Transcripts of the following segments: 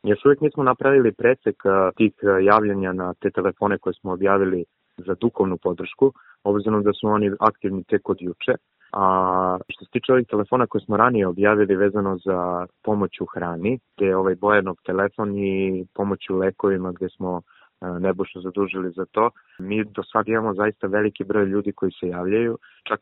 Još uvijek nismo napravili presek tih javljanja na te telefone koje smo objavili za duhovnu podršku, obzirom da su oni aktivni tek od juče. A što se tiče ovih telefona koje smo ranije objavili vezano za pomoć u hrani, gdje je ovaj Bojanov telefon i pomoć u lekovima gdje smo Nebojšu zadužili za to, mi do sad imamo zaista veliki broj ljudi koji se javljaju, čak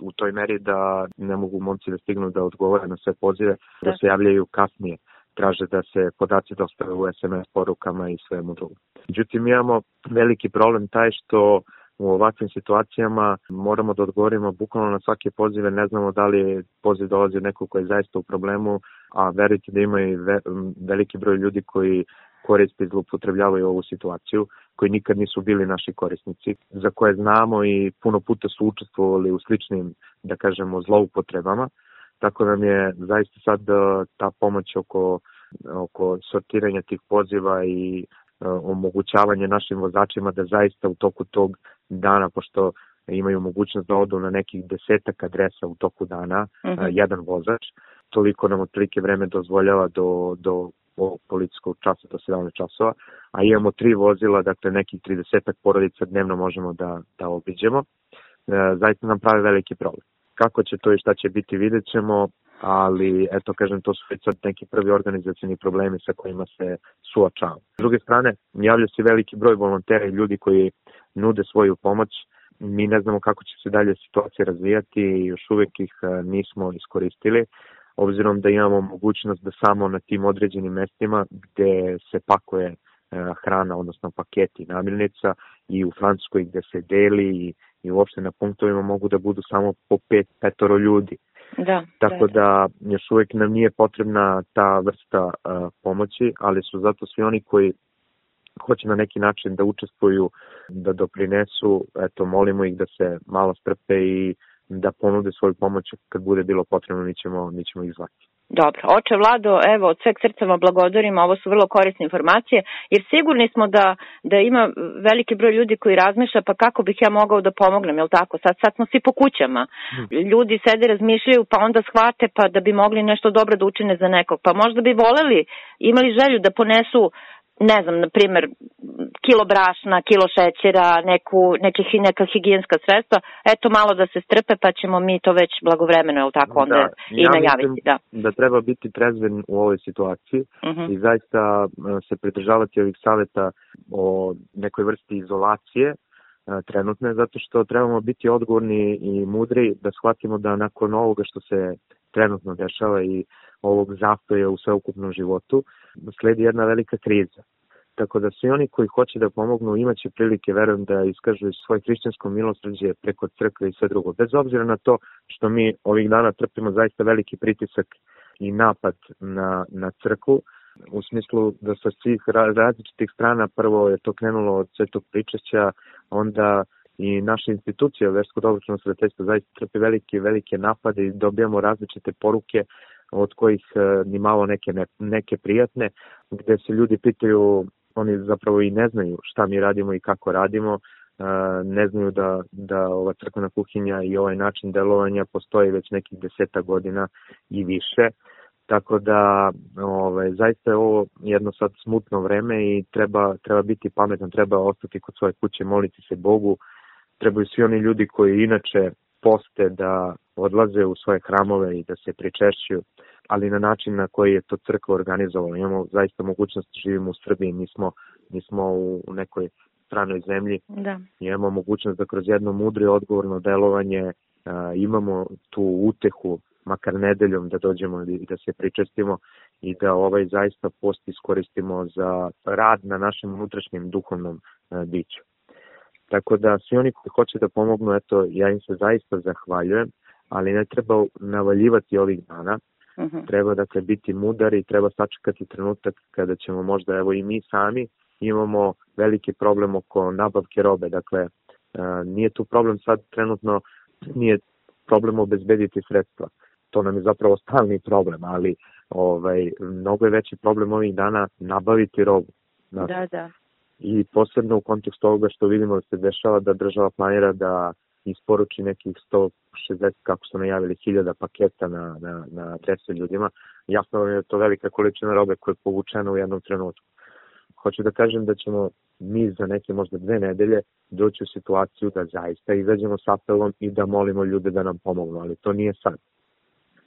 u toj meri da ne mogu momci da stignu da odgovore na sve pozive, da se javljaju kasnije. Traže da se podaci dostave u SMS porukama i svemu drugom. Međutim, imamo veliki problem taj što u ovakvim situacijama moramo da odgovorimo bukvalno na svake pozive, ne znamo da li poziv dolazi od nekog koji je zaista u problemu, a verujte da ima i veliki broj ljudi koji koriste i zloupotrebljavaju ovu situaciju, koji nikad nisu bili naši korisnici, za koje znamo i puno puta su učestvovali u sličnim, da kažemo, zloupotrebama. Tako nam je zaista sad ta pomoć oko sortiranja tih poziva i omogućavanje našim vozačima da zaista u toku tog dana, pošto imaju mogućnost da odu na nekih 10 adresa u toku dana, jedan vozač, toliko nam otprilike vreme dozvoljava do policijskog časa do 17 časova, a imamo 3 vozila, dakle nekih 30 porodica dnevno možemo da obiđemo. Zaista nam pravi veliki problem. Kako će to i šta će biti, vidjet ćemo, ali eto kažem, to su već sad neki prvi organizacioni problemi sa kojima se suočavamo. S druge strane, javlja se veliki broj volontera i ljudi koji nude svoju pomoć. Mi ne znamo kako će se dalje situacija razvijati i još uvijek ih nismo iskoristili, obzirom da imamo mogućnost da samo na tim određenim mestima gdje se pakuje hrana, odnosno paketi namirnica, i u Francuskoj gdje se deli i uopšte na punktovima mogu da budu samo po 5 ljudi. Tako da još uvijek nam nije potrebna ta vrsta pomoći, ali su zato svi oni koji hoće na neki način da učestvuju, da doprinesu, eto, molimo ih da se malo strpe i da ponude svoju pomoć kad bude bilo potrebno, mi ćemo ih zvati. Dobro, oče Vlado, evo, od sveg srca vam blagodarim, ovo su vrlo korisne informacije, jer sigurni smo da ima veliki broj ljudi koji razmišlja, pa kako bih ja mogao da pomognem, jel tako? Sad smo svi po kućama, ljudi sede, razmišljaju, pa onda shvate pa da bi mogli nešto dobro da učine za nekog, pa možda bi voleli, imali želju da ponesu, ne znam, na primjer, kilo brašna, kilo šećera, neka higijenska sredstva, eto malo da se strpe, pa ćemo mi to već blagovremeno, je li tako, onda i najaviti. Da treba biti trezven u ovoj situaciji i zaista se pridržavati ovih savjeta o nekoj vrsti izolacije trenutne, zato što trebamo biti odgovorni i mudri da shvatimo da nakon ovoga što se trenutno dešava i ovog zastoja u sveukupnom životu, sledi jedna velika kriza. Tako da svi oni koji hoće da pomognu imaće prilike, verujem, da iskažu svoje hrišćansko milosrđe preko crkve i sve drugo. Bez obzira na to što mi ovih dana trpimo zaista veliki pritisak i napad na crkvu, u smislu da sa svih različitih strana, prvo je to krenulo od Svetog pričešća, onda i naša institucija, Versko-dobročino svetiteljstvo, zaista trpi velike napade i dobijamo različite poruke od kojih ni malo neke prijatne, gdje se ljudi pitaju, oni zapravo i ne znaju šta mi radimo i kako radimo, ne znaju da ova crkvena kuhinja i ovaj način delovanja postoji već nekih 10 godina i više. Tako da zaista je ovo jedno sad smutno vreme i treba biti pametan, treba ostati kod svoje kuće, moliti se Bogu. Trebaju svi oni ljudi koji inače poste da odlaze u svoje hramove i da se pričešćuju, ali na način na koji je to crkva organizovala. Imamo zaista mogućnost da živimo u Srbiji, nismo u nekoj stranoj zemlji. Imamo mogućnost da kroz jedno mudro i odgovorno delovanje imamo tu utehu, makar nedeljom, da dođemo i da se pričestimo i da zaista post iskoristimo za rad na našem unutrašnjem duhovnom biću. Tako da svi oni koji hoće da pomognu, eto, ja im se zaista zahvaljujem, ali ne treba navaljivati ovih dana. Treba dakle biti mudar i treba sačekati trenutak kada ćemo možda, evo i mi sami imamo veliki problem oko nabavke robe. Dakle, nije tu problem sad trenutno, nije problem obezbediti sredstva. To nam je zapravo stalni problem, ali mnogo je veći problem ovih dana nabaviti robu. Da. I posebno u kontekstu ovoga što vidimo da se dešava, da država planira da isporuči nekih 160, kako su najavili, 1000 paketa na adrese ljudima. jasno je to velika količina robe koja je povučena u jednom trenutku. Hoću da kažem da ćemo mi za neke možda 2 nedelje doći u situaciju da zaista izađemo s apelom i da molimo ljude da nam pomognu, ali to nije sad.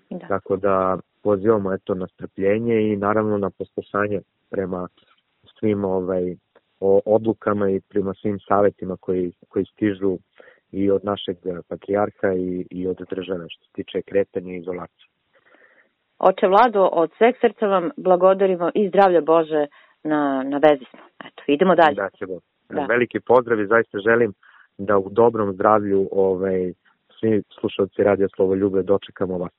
Da. Tako da pozivamo na strpljenje i naravno na poslušanje prema svim odlukama i prema svim savjetima koji stižu i od našeg patrijarha i od države što se tiče kretanja i izolacije. Oče Vlado, od sveg srca vam blagodarimo i zdravlja Bože na vezi smo. Eto, idemo dalje. Da. Veliki pozdrav i zaista želim da u dobrom zdravlju svi slušalci Radija Slovoljube dočekamo vas.